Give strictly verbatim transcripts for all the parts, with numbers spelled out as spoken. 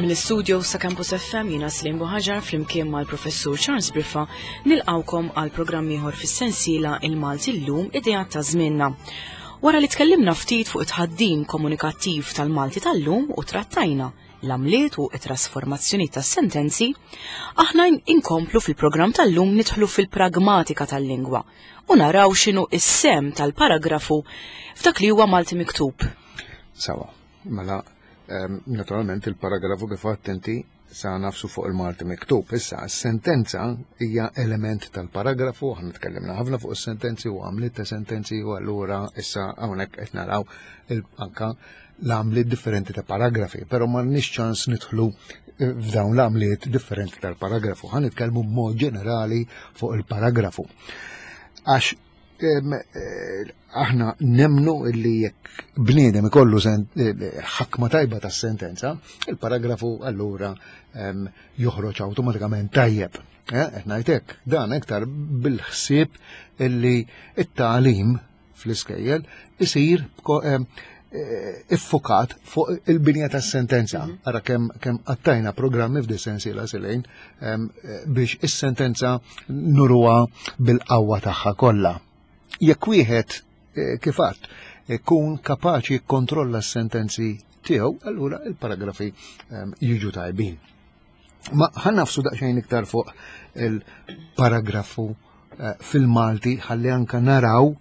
Mill-istudio sa' Campus F M jiena Slim Buhaġar flimkien mal-Professur Charles Briffa nilqawkom għal programm ieħor fis-sensiela Il-Malti llum, idea ta' żmienna. Wara li tkellimna ftit fuq it-tħaddim komunikattiv tal-Malti tal-lum u trattajna l-għamliet u it-trasformazzjoni tas-sentenzi, aħna inkomplu fil-programm tal-lum nidħlu fil-pragmatika tal-lingwa u naraw x'inhu is-sehem tal-paragrafu f'dak li huwa Malti miktub. Sawa, mela naturalment il-paragrafu, kif attenti, sa nafsu fuq il-Malti miktub. Issa, sentenza hija element tal-paragrafu, aħna tkellimna ħafna fuq is-sentenzi u għamliet ta' sentenzi, u allura issa hawnhekk qed naraw anka l-għamliet differenti ta' paragrafi, però m'għandniex ċans nidħlu eh, f'dawn l-għamliet differenti tal-paragrafu. Ħa nitkellmu b'mod ġenerali fuq il-paragrafu. Għax eh, aħna nemmnu illi jekk bniedem ikollu eh, ħakma tajba tas sentenza, il-paragrafu allura joħroġ awtomatikament tajjeb. Eh, qed ngħidlek, dan iktar bil-ħsieb illi it-tagħlim fl-iskejjel isir iffukat fuq il-binja tas sentenza. Mhm. Ara kemm kemm għaddejna programmi f'di sensiela silejn biex is-sentenza nuruha bil-qawwa tagħha kollha. Jekk wieħed eh, kif għedt ikun kapaċi jikkontrolla s-sentenzi tiegħu, allura il-paragrafi jiġu tajbin. Ma ħa nagħfsu daqsxejn iktar fuq il-paragrafu eh, fil-Malti ħalli anka naraw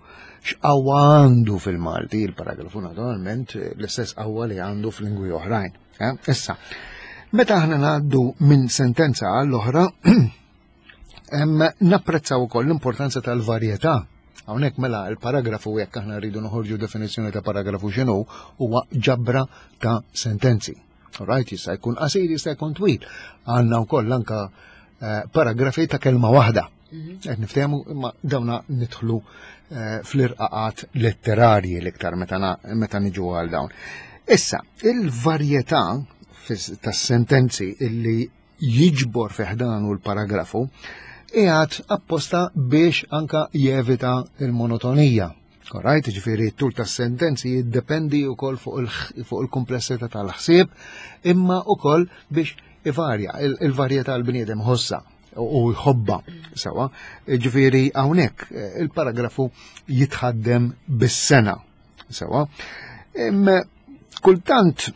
x'qawwa għandu fil-Malti il-paragrafu, naturalment l-istess qawwa li għandu f'lingwi oħrajn. Eh? Issa, meta aħna ngħaddu minn sentenza għall-oħra, napprezzaw ukoll l-importanza tal-varjetà. Hawnhekk mela il-paragrafu, jekk aħna rridu noħorġu definizzjoni ta' paragrafu x'inhu, huwa ġabra ta' sentenzi. Alright, jista' jkun qasir, jista' jkun twil. Għandna wkoll anka eh, paragrafi ta' kelma waħda. Qed niftehmu, imma dawna nidħlu eh, fl-irqaqat letterarji l-iktar meta na- meta niġu għal dawn. Issa, il-varjetà fis- tas-sentenzi illi jiġbor fi ħdanu l-paragrafu qiegħed apposta biex anka jevita il-monotonija. Alright, ġifieri t-tul tas-sentenzi jiddependi wkoll fuq il- fuq il-komplessità tal-ħsieb, imma wkoll biex ivarja, il- il-varjetà l-bniedem ħossa u jħobba sewa. Ġifieri hawnhekk eh, il-paragrafu jitħaddem bis-sena sewa. Imma kultant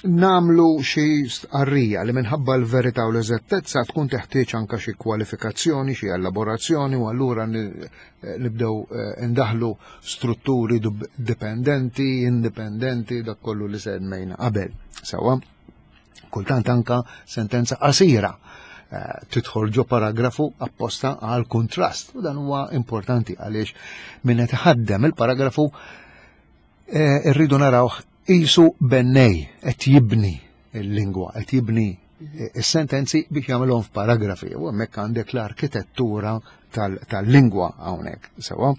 nagħmlu xi stqarrija li minħabba l-verità u l-eżattezza tkun teħtieġ anka xi kwalifikazzjoni, xi elaborazzjoni, u allura ni- eh, nibdew eh, indaħlu strutturi dub- dipendenti, indipendenti, dak kollu li semmejna qabel. Sewa, kultant anka sentenza qasira eh, tidħol ġo paragrafu apposta għal kontrast, u dan huwa importanti għaliex min qed iħaddem il-paragrafu eh, irridu narawh qisu bennej qed jibni il-lingwa, qed jibni eh, is-sentenzi biex jagħmelhom f'paragrafi, u hemmhekk għandek l-arkitettura tal- tal-lingwa hawnhekk, sewa.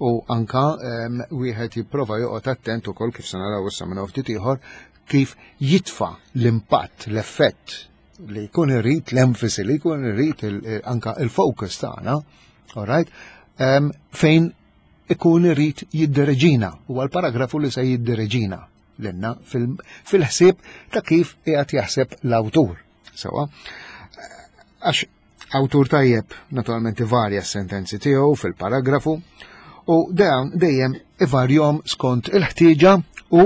U anka em, wieħed jipprova joqgħod attent ukoll, kif se naraw issa minn ftit ieħor, kif jitfa' l-impatt, l-effett li jkun irid, l-enfasi li jkun irid, il- anka il-focus tagħna, all right, em, fejn ikun irid jiddereġina, huwa l-paragrafu li se jiddereġina lilna fil- fil-ħsieb ta' kif qiegħed jaħseb l-awtur. Sewa. Għax awtur tajjeb naturalment ivarja s-sentenzi tiegħu fil-paragrafu u dawn dejjem ivarjom skont il-ħtieġa u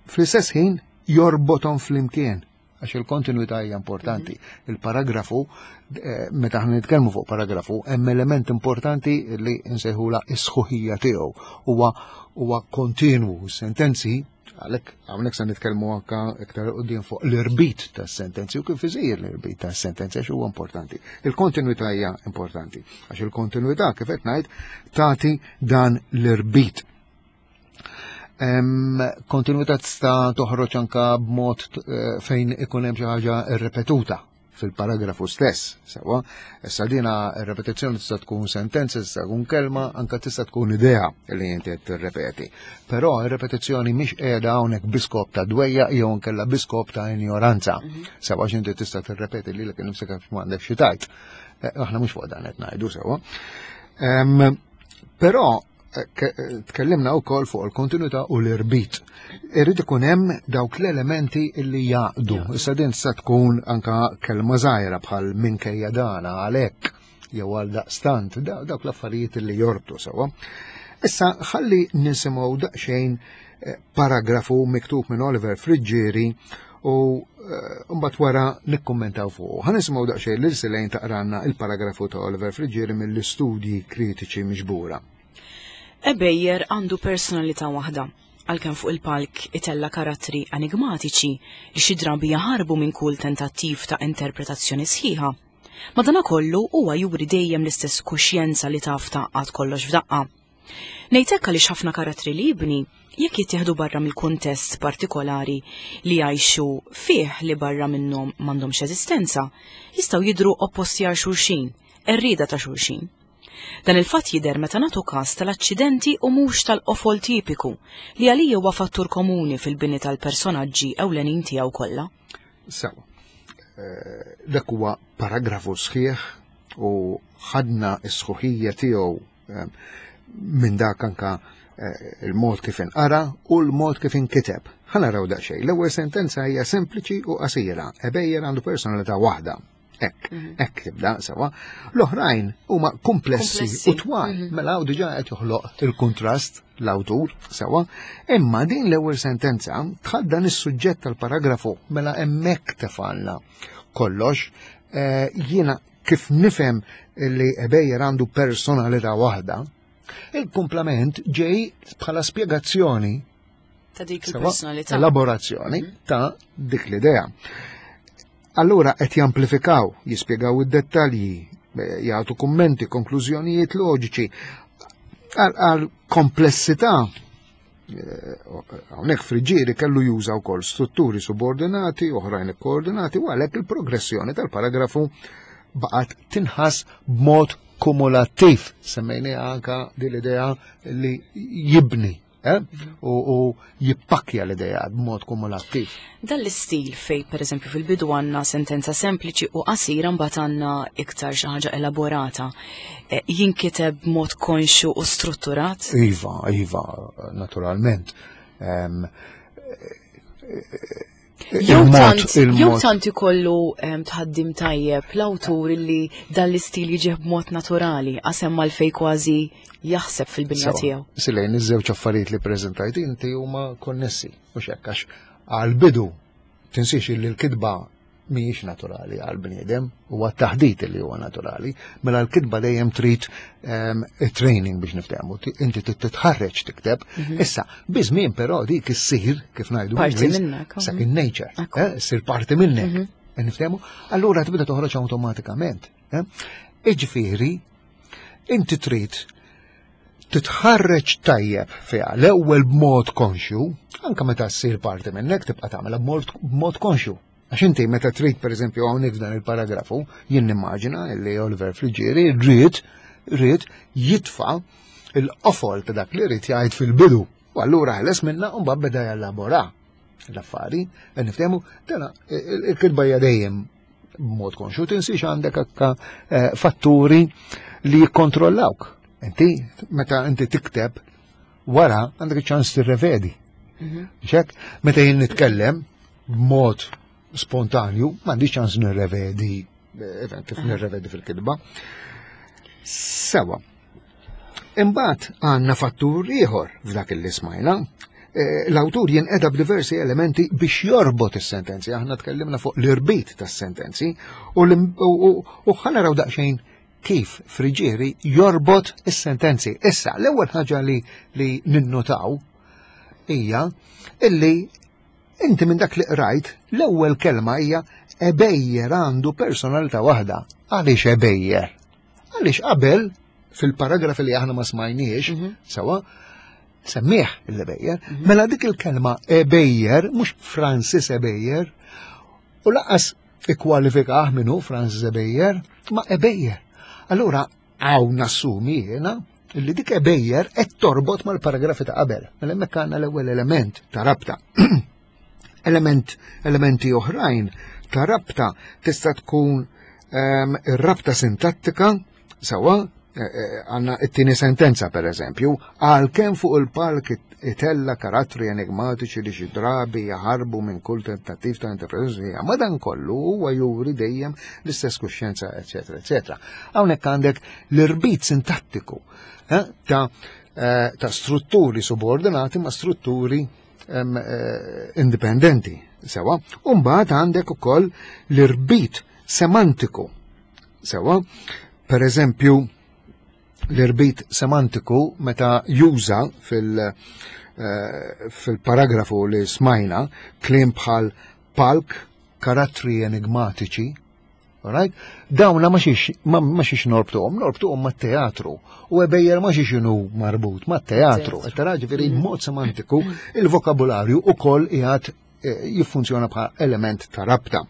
fl-istess ħin jorbothom flimkien, għax il-kontinuità hija importanti. Il-paragrafu, eh, meta aħna nitkellmu fuq paragrafu, hemm element importanti li nsejħula is-sħuħija tiegħu. Huwa huwa kontinwu, sentenzi, għalhekk hawnhekk se nitkellmu anka iktar quddiem fuq l-irbit tas-sentenzi u kif isir l-irbit tas-sentenzi, għax huwa importanti. Il-kontinuità hija importanti għax il-kontinuità, kif qed ngħid, tagħti dan l-irbit. Kontinuità tista' toħroġ anka b'mod eh, fejn ikun hemm xi ħaġa irrepetuta fil-paragrafu stess, sewa. Issa dina ir-repetizzjoni tista' tkun sentenza, tista' tkun kelma, anka tista' tkun idea li inti qed tirrepeti. Però ir-repetizzjoni mhix qiegħda hawnhekk bi skop ta' dwejjaq jew inkella bi skop ta' ignoranza. Mhm. Sewa, għax inti tista' tirrepeti lilek innifsek għax m'għandek xi tgħid. Eh, aħna mhux fuq dan qed ngħidu, sewa. Però Tkellimna wkoll fuq il-kontinuità u l-irbit. Irrid ikun hemm dawk l-elementi li jaqdu. Issa din sa tkun anka kelma żgħira bħal minkejja dana għalhekk jew għal daqstant, dawk l-affarijiet li jorbtu sewwa. Issa ħalli nisimgħu daqsxejn paragrafu miktub minn Oliver Friggieri u mbagħad wara nikkummentaw fuq. Ħa nisimgħu daqsxejn lil Silejn taqranna il-paragrafu ta' Oliver Friggieri mill-istudji kritiċi miġbura. Ebejer għandu personalità waħda, għalkemm fuq il-palk itella karattri enigmatiċi li xi drabi jaħarbu minn kull tentattiv ta' interpretazzjoni sħiħa. Madanakollu huwa juri dejjem l-istess kuxjenza li taf taqgħad kollox f'daqqa. Ngħid hekk għaliex ħafna karattri li jibni jekk jittieħdu barra mill-kuntest partikolari li jgħixu fih li barra minnhom m'għandhomx eżistenza, jistgħu jidhru opposti għal xulxin, errieda ta' xulxin. Dan il-fatt jidher meta nagħtu każ tal-aċċidenti u mhux tal-qofol tipiku li għalija huwa fattur komuni fil-bini tal-personaġġi ewlenin tiegħu kollha. Sewa. Dak huwa paragrafu sħiħ u ħadna s-sħuħija tiegħu minn dak anka il-mod kif inqara u l-mod kif inkiteb. Ħa naraw daqsxejn. L-ewwel sentenza hija sempliċi u qasira. Ebejer għandu personalità waħda. Hekk, hekk tibda sewa. L-oħrajn huma komplessi u twal, mela hawn diġà qed joħloq il-kuntrast l-awtur sewa. Imma din l-ewwel sentenza tħaddan is-suġġett tal-paragrafu, mela hemmhekk tefalna kollox. Jiena kif nifhem li Ebejer għandu personalità waħda, il-kumplament ġej bħala spjegazzjoni ta' dik il-personalità, elaborazzjoni ta' dik l-idea. Allura qed jamplifikaw, jispjegaw id-dettalji, jagħtu kummenti, konklużjonijiet loġiċi għal komplessità. Hawnhekk Friggieri kellu juża wkoll strutturi subordinati, oħrajn ikkoordinati, u għalhekk il-progressjoni tal-paragrafu baqgħet tinħass b'mod kumulattiv. Semmejniha anka din l-idea li jibni u, u jippakkja l-idea b'mod kumulattiv. Dan l-istil fej, per eżempju, fil-bidu għandna sentenza sempliċi u qasira mbagħad għandna iktar xi ħaġa elaborata. Jinkiteb b'mod konxju u strutturat? Iva, iva, naturalment. Um, Jew tant ikollu tħaddim tajjeb l-awtur li dan l-istil jiġih b'mod naturali, qasem mal-fej kważi jaħseb fil-binja tiegħu. Silejn, iż-żewġ affarijiet li preżentajt inti huma konnessi, mhux hekk, għax għall-bidu tinsiex li l-kitba mhijiex naturali għall-bniedem, huwa t-taħdit li huwa naturali, mela l-kitba dejjem trid training biex niftehmu, inti titħarreġ tikteb. Issa, biżmien però dik issir, kif ngħidu, parti minnek, second nature, issir parti minnek, niftehmu, allura tibda toħroġ awtomatikament. Iġifieri, inti trid titħarreġ tajjeb fiha l-ewwel b'mod konxju, anke meta ssir parti minnek tibqa' tagħmilha b'mod konxju. Għax inti meta trid pereżempju hawnhekk f'dan il-paragrafu, jien nimmaġina li Oliver Friggieri rrid rrid jitfa' il-qofol ta' dak li rrid jgħid fil-bidu. U allura ħeles minna u mbagħad beda jellabora l-affari, niftehmu, dana il-kitba hija dejjem b'mod konxju, tinsiex għandek akka fatturi li jikkontrollawk. Inti meta inti tikteb wara għandek iċ-ċans tirrevedi. Xek, meta jien nitkellem b'mod spontanju, m'għandix ċans nirrevedi, kif nirrevedi fil-kitba. Sewa. Imbagħad għandna fattur ieħor f'dak li smajna. L-awtur jinqeda b'diversi elementi biex jorbot is-sentenzi. Aħna tkellimna fuq l-irbit tas-sentenzi u ħa naraw daqsxejn kif Friggieri jorbot is-sentenzi. Issa, l-ewwel ħaġa li li ninnotaw hija illi inti minn dak li qrajt, l-ewwel kelma hija Ebejer għandu personalità waħda. Għaliex Ebejer? Għaliex qabel fil-paragrafi li aħna ma smajniex, sewa, semmieħ l-Ebejer, mela dik il-kelma Ebejer, mhux Francis Ebejer, u laqas ikkwalifikah minnu Francis Ebejer, ma Ebejer. Allura hawn nassumi jiena li dik Ebejer qed torbot mal-paragrafi ta' qabel. Mela hemmhekk għandna l-ewwel element ta' rabta. Element, elementi oħrajn ta' rabta tista' tkun ir-rabta sintattika, sewa, Għandna it-tieni sentenza, per eżempju, għalkemm fuq il-palk itella karattri enigmatiċi li xi drabi jaħarbu minn kull tentattiv ta' interpretazzjoni, madankollu huwa juri dejjem l-istess kuxjenza, eċetera, eċetera. Hawnhekk għandek l-irbit sintattiku eh, ta' eh, ta' strutturi subordinati ma' strutturi em, eh, indipendenti. Sewa, u mbagħad għandek ukoll l-irbit semantiku. Sewa, per eżempju, l-irbit semantiku meta juża fil- eh, fil-paragrafu li smajna kliem bħal palk, karattri enigmatiċi, alright? Dawna ma xiex ma, ma xiex norbtuhom, norbtuhom mat-teatru. U Ebejer ma xiex inhu marbut mat-teatru. Teatru. Tara ġifieri mod semantiku il-vokabularju ukoll qiegħed eh, jiffunzjona bħala element ta' rabta.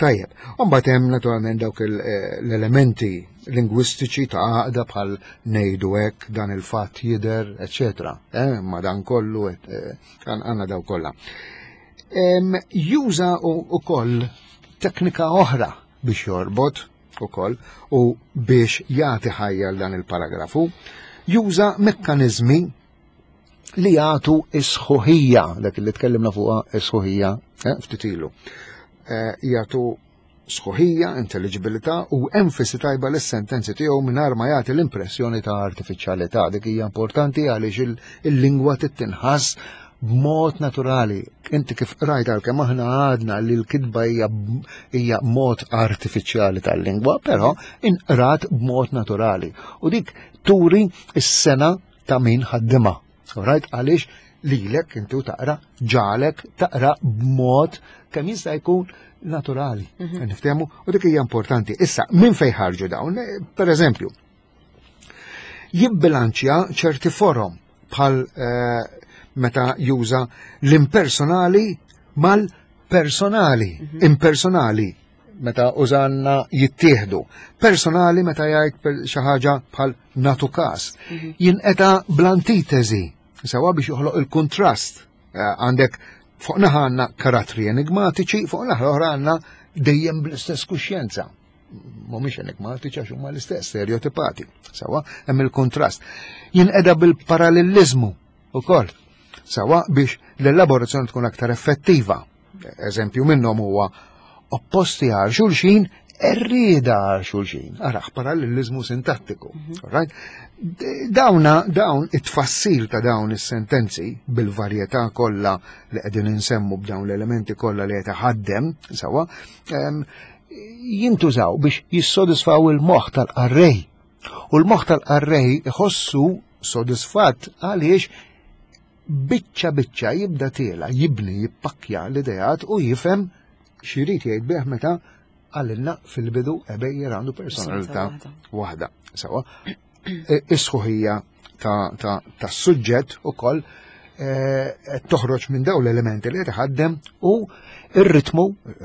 Tajjeb, mbagħad hemm naturalment dawk il- eh, l-elementi lingwistiċi ta' għaqda bħal ngħidu hekk, dan il-fatt jidher, eċetera. Eh, ma dan kollu eh, għandna daw kollha. Em, Juża ukoll teknika oħra biex jorbot ukoll u biex jagħti ħajja l dan il-paragrafu. Juża mekkanizmi li jagħtu is-sħuħija, dak li tkellimna fuqha is-sħuħija eh, ftit ilu. Eh, jagħtu sħuħija, intelligibilità u enfasi tajba lis-sentenzi tiegħu mingħajr ma jagħti l-impressjoni ta' artifiċjalità. Dik hija importanti għaliex il- il-lingwa tinħass b'mod naturali. Inti kif rajt għalkemm aħna għadna li l-kitba hija hija mod artifiċjali tal-lingwa, però inqrat b'mod naturali. U dik turi s-sengħa ta' min ħaddima. Right? Għaliex lilek inti u taqra ġalek taqra b'mod kemm jista' jkun naturali. Niftehmu u dik hija importanti. Issa, minn fejn ħarġu dawn? Eh, Per eżempju, jibbilanċja ċerti forom bħal eh, meta juża l-impersonali mal-personali. Impersonali meta użanna jittieħdu. Personali meta jgħid per- xi ħaġa bħal natu kas. Jinqeda bl-antitesi, sewa biex joħloq il-kontrast. Eh, Għandek fuq naħa għandna karattri enigmatiċi, fuq naħa oħra għandna dejjem bl-istess kuxjenza. Mhumiex enigmatiċi għax huma l-istess, stereotipati. Sewa, hemm il-kontrast. Jinqeda bil-parallelizmu ukoll. Sewa biex l-elaborazzjoni tkun aktar effettiva. Eżempju minnhom huwa opposti għal xulxin, errida għal xulxin. Araħ, parallelizmu sintattiku. Right? D- Dawna, dawn it-tfassil ta' dawn is-sentenzi bil-varjetà kollha li qegħdin insemmu b'dawn l-elementi kollha li qed iħaddem, sewa, em, jintużaw biex jissodisfaw il-moħħ tal-qarrej. U l-moħħ tal-qarrej iħossu sodisfatt għaliex biċċa biċċa jibda tiela, jibni, jippakkja l-idejat u jifhem x'irid jgħid bih meta għalilna fil-bidu Ebejer għandu personalità waħda. Sewa, E, is-sħuħija ta' ta' ta' suġġett ukoll eh, toħroġ minn dawn l-elementi li qed iħaddem u ir-ritmu,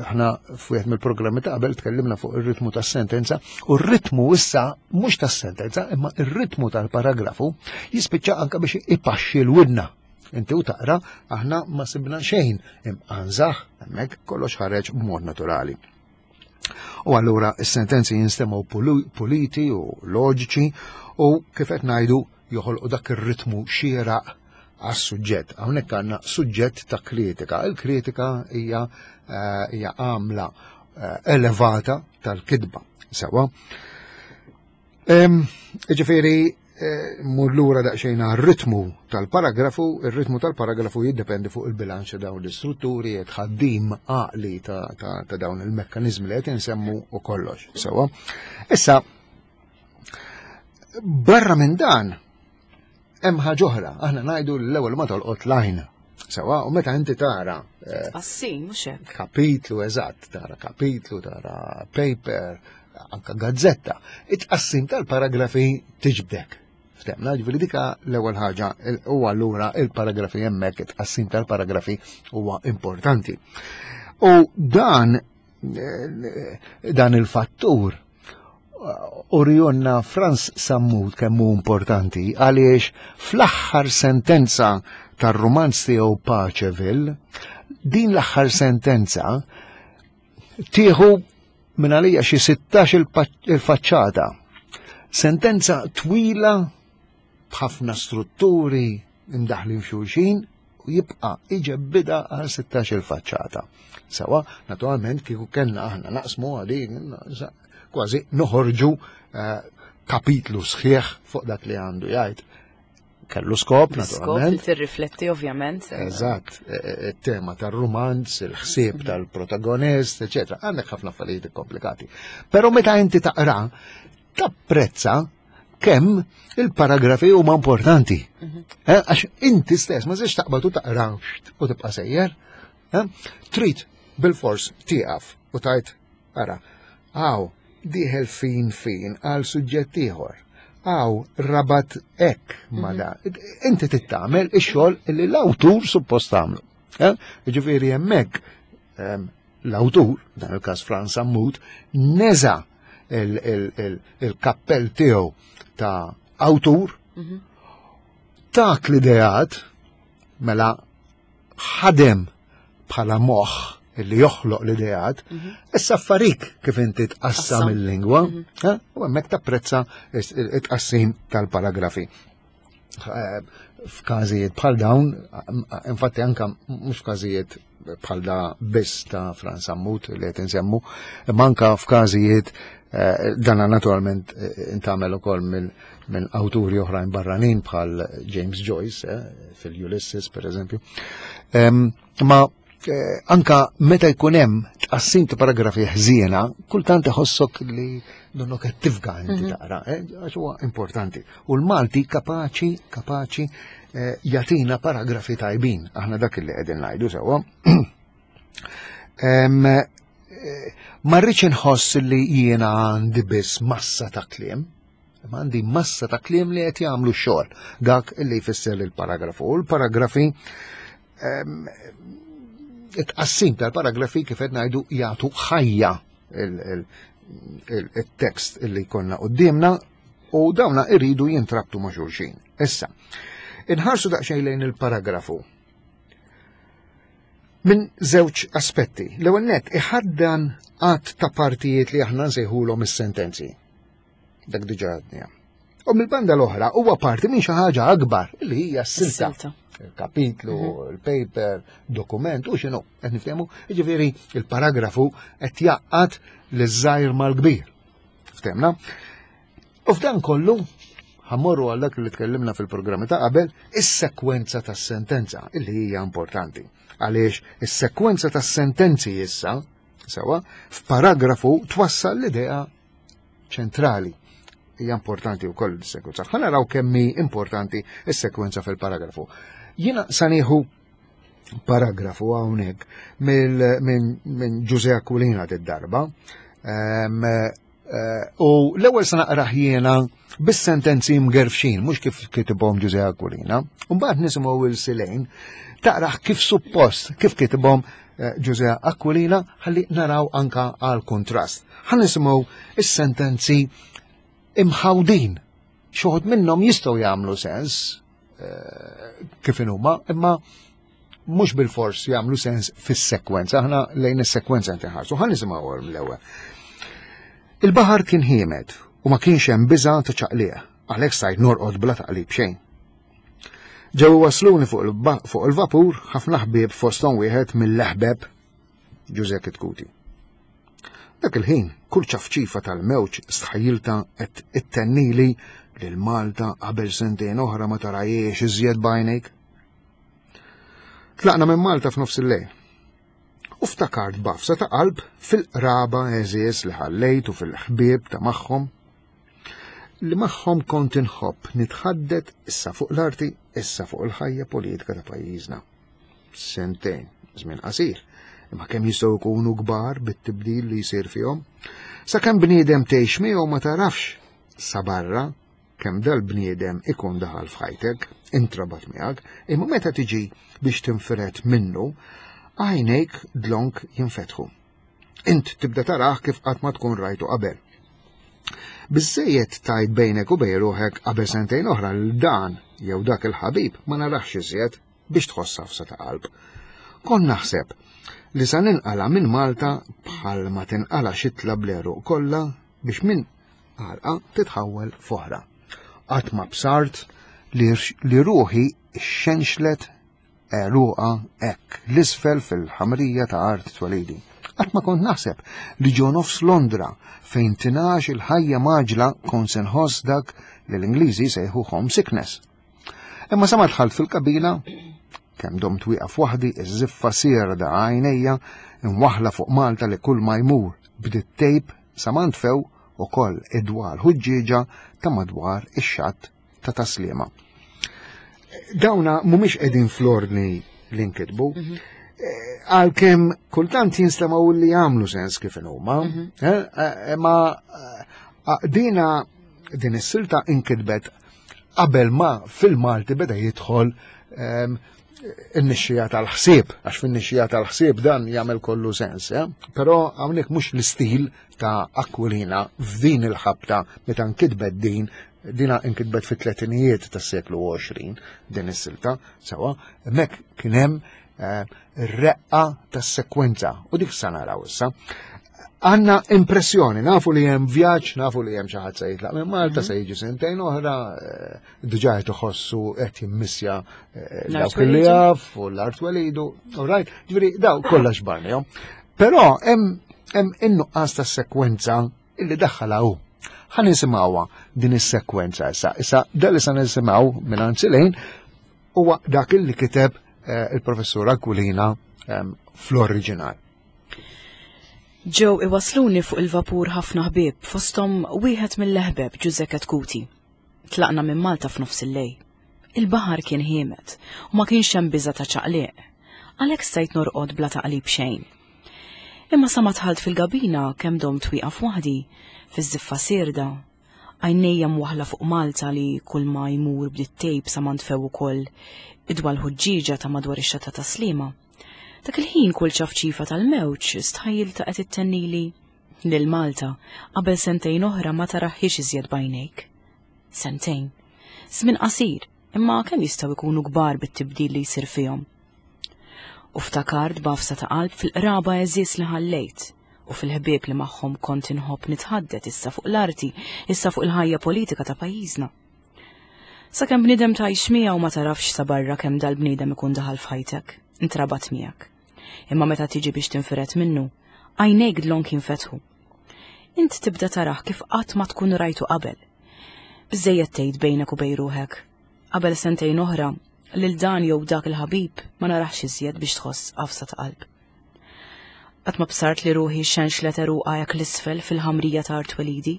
aħna f'wieħed mill-programmi ta' qabel tkellimna fuq ir-ritmu tas-sentenza, u r-ritmu issa mhux tas-sentenza, imma ir-ritmu tal-paragrafu jispiċċa anke biex ipaxxi l-widna. Inti u taqra, aħna ma sibna xejn imqanżaħ, hemmhekk kollox ħareġ b'mod naturali. U allura is-sentenzi jinstemgħu puliti u loġiċi u kif qed ngħidu joħolqu dak ir-ritmu xieraq għas-suġġett. Hawnhekk għandna suġġett ta' kritika. Il-kritika hija eh, hija għamla eh, elevata tal-kitba. Sewa. Ġifieri eh, mur lura daqsxejn għar-ritmu tal-paragrafu, ir-ritmu tal-paragrafu jiddependi fuq il-bilanċ ta' dawn l-istrutturi, tħaddim għaqli ta', ta, ta dawn il-mekkanizmi li qed insemmu u kollox. Sewa. Issa, barra minn dan, hemm ħaġa oħra, aħna ngħidu l-ewwel ma tolqot l-għajn. Sewa, u meta inti tara eh, Tqassim, mhux hekk. kapitlu eżatt, tara kapitlu, tara paper, anka gazzetta, it-tqassim tal-paragrafi tiġbdek. Ftemna, ġifieri dika l-ewwel ħaġa u allura il-paragrafi hemmhekk, it-tqassim tal-paragrafi huwa importanti. U dan eh, dan il-fattur urjonna Frans Sammut kemm hu importanti għaliex fl-aħħar sentenza tar-romanz tiegħu Paceville, din l-aħħar sentenza tieħu minn għalija xi sittax il-faċċata. Sentenza twila b'ħafna strutturi imdaħlin f'xulxin u jibqa' iġebbida għal sittax-il faċċata. Sawa, naturalment kieku kellna aħna naqsmu għalin kważi noħorġu eh, kapitlu sħiħ fuq dak li għandu jgħid. Kellu skop, naturalment. Skop li tirrifletti ovvjament. Eżatt, eh, eh, il-tema tal-romanz, il-ħsieb mhm. tal-protagonist, eċetera. Għandek ħafna affarijiet komplikati. Però meta inti taqra, tapprezza kemm il-paragrafi huma importanti. Mhm. Eh, għax inti stess ma żiex taqbad u taqra u tibqa' sejjer. Trid bil-fors tieqaf u tajt ara, għaw dieħel fin fin għal suġġett ieħor. Għaw rabat ek ma mhm. da. Inti tittamel ix-xogħol li l-awtur suppost tagħmlu. Ġifieri hemmhekk l-awtur, dan il-każ Frans Sammut, neża il-kappell tiegħu ta' awtur, mhm. tak l-ideat, mela ħadem bħala moħħ illi joħloq l-ideat, mhm. issa affarik kif inti tqassam il-lingwa, mhm. u hemmhekk tapprezza it-tqassim tal-paragrafi. Eh, f'każijiet bħal dawn, infatti anka mhux f'każijiet bħal da biss ta' Frans Sammut li qed insemmu, imma anka f'każijiet eh, dana naturalment eh, intagħmel ukoll minn minn awturi oħrajn barranin bħal James Joyce fil-Ulysses per eżempju. Ma anka meta jkun hemm tqassim ta' paragrafi ħżiena, kultant iħossok li donnok qed tifga inti mhm. taqra, għax huwa importanti. U l-Malti kapaċi kapaċi jagħtina paragrafi tajbin, aħna dak li qegħdin ngħidu sewwa. Ma rridx inħoss li jiena għandi biss massa ta' kliem, imma għandi massa ta' kliem li qed jagħmlu x-xogħol, dak li jfisser il-paragrafu. U l-paragrafi it-tqassim tal-paragrafi kif qed ngħidu jagħtu ħajja il-tekst illi jkollna quddiemna u dawna iridu jintrabtu ma' xulxin. Issa, inħarsu daqsxejn lejn il-paragrafu minn żewġ aspetti. L-ewwel nett iħaddan għadd ta' partijiet li aħna nsejħulhom is-sentenzi. Dak diġà għadniha. U mill-banda l-oħra huwa parti minn xi ħaġa akbar li hija s-silta. Il-kapitlu, mhm. il-paper, dokument u x'inhu, qed niftehmu, jiġifieri il-paragrafu qed jaqgħad liż-żgħir mal-kbir. Ftehmna? U f'dan kollu ħammorru għal dak li tkellimna fil-programmi ta' qabel, is-sekwenza tas-sentenza illi hija importanti. Għaliex is-sekwenza tas-sentenzi issa, sewa, f'paragrafu twassal l-idea ċentrali. Hija importanti wkoll is-sekwenza. Ħa naraw kemm hi importanti is-sekwenza fil-paragrafu. Jiena sa nieħu paragrafu hawnhekk minn Ġużè Aquilina d-darba. U l-ewwel sa naqrah jiena bis-sentenzi mgerfxin, mhux kif kitibhom Ġużè Aquilina. U mbagħad nisimgħu il-Silejn taqrah kif suppost, kif kitibhom Ġużè Aquilina, ħalli naraw anka għal kontrast. Ħa nisimgħu is-sentenzi imħawdin. Xi wħud minnhom jistgħu jagħmlu sens kif inhuma, imma mhux bil-fors jagħmlu sens fis-sekwenza. Aħna lejn is-sekwenza inti ħarsu. Ħa nisimgħu l-ewwel. Il-baħar kien ħiemed u ma kienx hemm biża' ta' ċaqliq, għalhekk stajt norqod bla taqlib xejn. Ġew wasluni fuq il-vapur ħafna ħbieb fosthom wieħed mill-eħbeb Ġużè Kitkuti. Dak il-ħin kull ċafċifa tal-mewġ stħajjilta qed ittennili lil Malta qabel sentejn oħra ma tarajiex iżjed b'għajnejk. Tlaqna minn Malta f'nofs il-lejl. U ftakart b'għafsa ta' qalb fil-qraba għeżież li ħallejt u fil-ħbieb ta' magħhom li magħhom kont inħobb nitħaddet issa fuq l-arti, issa fuq il-ħajja politika ta' pajjiżna. Sentejn, żmien qasir, imma kemm jistgħu jkunu kbar bit-tibdil li jsir fihom. Sakemm bniedem tgħix miegħu ma tarafx sa barra kemm dal-bniedem ikun daħal f'ħajtek, intrabat miegħek, imma meta tiġi biex tinfired minnu, għajnejk dlonk jinfetħu. Int tibda taraħ kif qatt ma tkun rajtu qabel. Biżżejjed tajt bejnek u bejn ruħek qabel sentejn oħra l dan jew dak il-ħabib ma narax iżjed biex tħoss għafsa ta' qalb. Kon naħseb li sa ninqala minn Malta bħal ma tinqala xitla bl-għeruq kollha biex minn għalqa titħawwel f'oħra. Qatt ma bsart li, li ruħi xenxlet għeruqha hekk l-isfel fil-ħamrija ta' art twelidi. Qatt ma kont naħseb li ġo nofs Londra fejn tingħax il-ħajja mgħaġġla kont se nħoss dak li l-Ingliżi sejħu homesickness. Imma sa ma dħalt fil-kabina, kemm domt wieqaf waħdi, iż-żiffa sierda għajnejja imwaħla fuq Malta li kull ma jmur bdiet tgħib sa ma ntfew ukoll id-dwal ħuġġieġa ta' madwar ix-xatt ta' Tas-Sliema. Dawna mhumiex qegħdin fl-ordni li nkitbu, mhm. eh, għalkemm kultant jinstemaw li jagħmlu sens kif huma, mhm. eh, eh, ma dina din is-silta inkitbet qabel ma fil-Malti beda jidħol ehm, in-nixxija tal-ħsieb, għax fin-nixxija tal-ħsieb dan jagħmel kollu sens, eh? Però hawnhekk mhux l-istil ta' Aquilina f'din il-ħabta meta nkitbet din, dina nkitbet fit-tletinijiet tas-seklu għoxrin din is-silta, sewa, hemmhekk kien hemm eh, ir-reqqa tas-sekwenza u dik sa naraw issa. Għanna impressjoni, nafu li hemm vjaġġ, nafu li hemm xi ħadd se jitlaq minn Malta, mhm. se jiġi sentejn oħra, eh, diġà qed iħossu qed jimmissja eh, dawk li jaf u l-art welidu, all right, ġifieri daw kollha xbarnihom. Però hemm hemm in-nuqqas ta' sekwenza illi daħħalha hu. Ħa nisimgħuha din is-sekwenza issa. Issa dak li sa nisimgħu minn Silejn huwa dak illi kiteb eh, il-professur Aquilina ehm, fl-oriġinal. Ġew iwasluni fuq il-vapur ħafna ħbieb, fosthom wieħed mill-eħbeb Ġużè Chetcuti. Tlaqna minn Malta f'nofs il-lejl. Il-baħar kien ħiemed u ma kienx hemm biża' ta' ċaqliq. Għalhekk stajt norqod bla taqlib xejn. Imma sa ma dħalt fil-gabina kemm domt wieqaf waħdi fiż-żiffa sierda, għajnejja mwaħla fuq Malta li kull ma jmur bdiet tgħib sa ma ntfew ukoll idwal ħuġġieġa ta' madwar ix-xatt ta' Tas-Sliema. Dak il-ħin kull ċafċifa tal-mewġ stħajjilta qed ittennili lil Malta qabel sentejn oħra ma taraħħiex iżjed b'għajnejk. Sentejn. Żmien qasir, imma kemm jistgħu jkunu kbar bit-tibdil li jsir fihom. U ftakart b'għafsa ta' qalb fil-qraba għeżież li ħallejt u fil-ħbieb li magħhom kont inħobb nitħaddet issa fuq l-arti, issa fuq il-ħajja politika ta' pajjiżna. Sakemm bniedem tgħix miegħu ma tarafx sa barra kemm dal-bniedem ikun daħal f'ħajtek, intrabat miegħek. Imma meta tiġi biex tinfiret minnu, għajnejk dlonk jinfetħu. Int tibda tarah kif qatt ma tkun rajtu qabel. Biżejjed tgħid bejnek u bejn ruħek. Qabel sentejn oħra, lil dan jew dak il-ħabib ma narax iżjed biex tħoss għafsa ta' qalb. Qatt ma bsart li ruħi xenxlet għeruqha hekk l-isfel fil-ħamrija ta' art twelidi.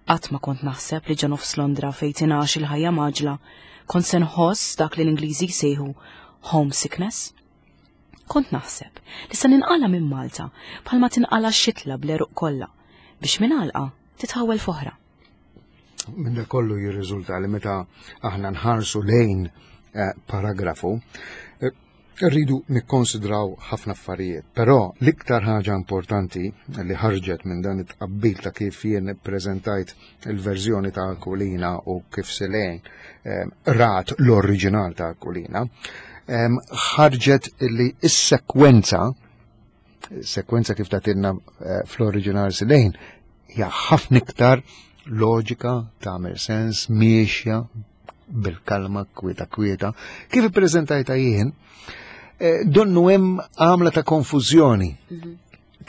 Qatt ma kont naħseb li ġo nofs Londra fejn tingħax il-ħajja mgħaġġla kont se nħoss dak li l-Ingliżi jsejħu homesickness. Kont naħseb li se ninqala minn Malta bħalma tinqala xitla bl-għeruq kollha biex minn għalqa titħawel f'oħra. Minn dak kollu jirriżulta li meta aħna nħarsu lejn eh, paragrafu, eh, rridu nikkonsidraw ħafna affarijiet, però l-iktar ħaġa importanti li ħarġet minn dan it-tqabbil ta' kif jien preżentajt il-verżjoni ta' Aquilina u kif Silejn eh, rat l-oriġinal ta' Aquilina, ħarġet li is-sekwenza, sekwenza kif tatilna eh, fl-oriġinal Silejn, hija ħafna iktar loġika, tagħmel sens, miexja bil-kalma, kwieta kwieta. Kif ippreżentajta jien, eh, donnu hemm għamla ta' konfużjoni. Mhm.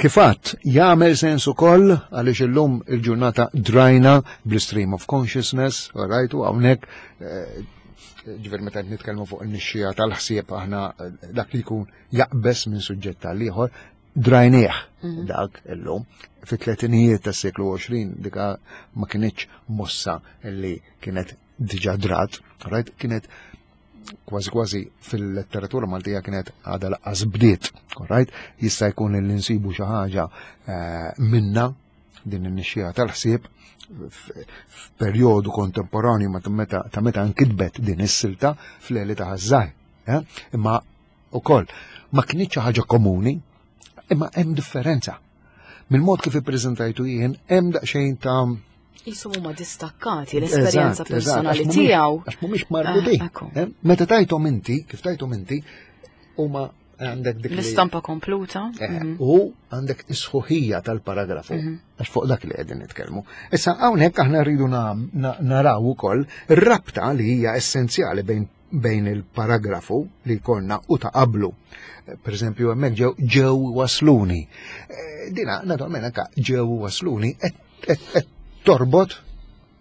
Kifat, jagħmel sens ukoll għaliex illum il-ġurnata drajna bl-stream of consciousness, all right, u hawnhekk eh, ġifieri meta nitkellmu fuq in-nixxija tal-ħsieb aħna eh, dak li jkun jaqbes minn suġġett tal ieħor drajnieh mhm. dak illum. Fit-tletinijiet tas-seklu għoxrin dika ma kinitx mossa li kienet diġà drat, right? Kienet kważi kważi fil-letteratura Maltija kienet għadha laqqas bdiet, right? Jista' jkun li nsibu xi ħaġa eh, minna din in-nixxija tal-ħsieb f'perjodu kontemporanju ta' meta nkitbet din is-silta fl-Għeli ta' Ħaż-Żgħir. Eh? Imma ukoll ma kinitx xi ħaġa komuni, imma hemm differenza. Mill-mod kif ippreżentajtu jien hemm daqsxejn ta' Jisum huma distakkati l-esperjenza personali tiegħu. Għax mhumiex marbutin. Ah, eh? Meta tajthom inti, kif tajthom inti, huma Għandek dik L-istampa kompluta. Eh, mhm. U għandek is-sħuħija tal-paragrafu. Mhm. Għax fuq dak li qegħdin nitkellmu. Issa hawnhekk aħna rridu naraw ukoll ir-rabta li hija essenzjali bejn bejn il-paragrafu li konna u ta' qablu. Per eżempju, hemmhekk ġew ġew wasluni. Eh, dina, naturalment, anka ġew wasluni qed torbot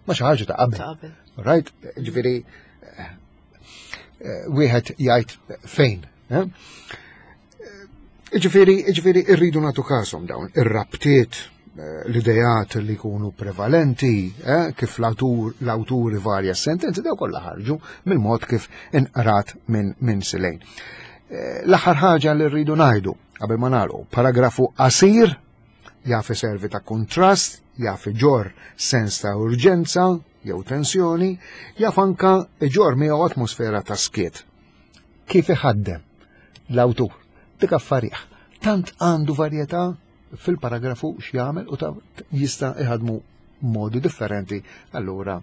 ma' xi ħaġa ta' qabel. Right? Ġifieri eh, eh, wieħed jgħid fejn. Ġifieri, ġifieri irridu nagħtu kasom dawn ir-rabtiet, l-idejat li jkunu prevalenti, eh, kif l-awturi varja sentenzi, daw kollha ħarġu mill-mod kif inqrat minn min Silejn. Eh, l-aħħar ħaġa li rridu ngħidu qabel ma nagħlqu, paragrafu qasir jaf iservi ta' kontrast, jaf iġorr sens ta' urġenza jew tensjoni, jaf anka iġorr miegħu atmosfera ta' skiet. Kif iħaddem l-awtur dik affarih. Tant għandu varjetà fil-paragrafu x'jagħmel u ta' jista' iħadmu modi differenti, allura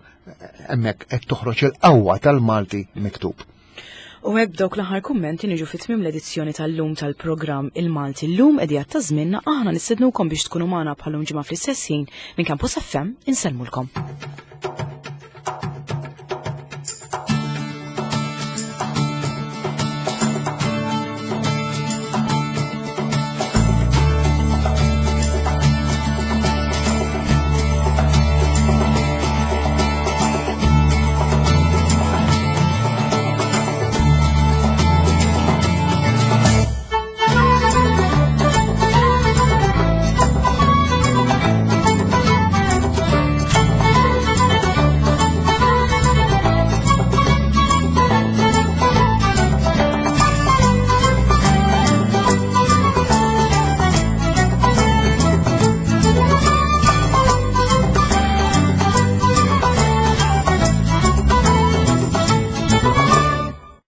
hemmhekk qed toħroġ il-qawwa tal-Malti miktub. U hekk b'dawk l-aħħar kummenti niġu fi tmiem l-edizzjoni tal-lum tal-programm Il-Malti Llum, idea ta' żmienna. Aħna nistednukom biex tkunu magħna bħal-lum ġimgħa fl-istess ħin. Minn Campus F M insellmulkom.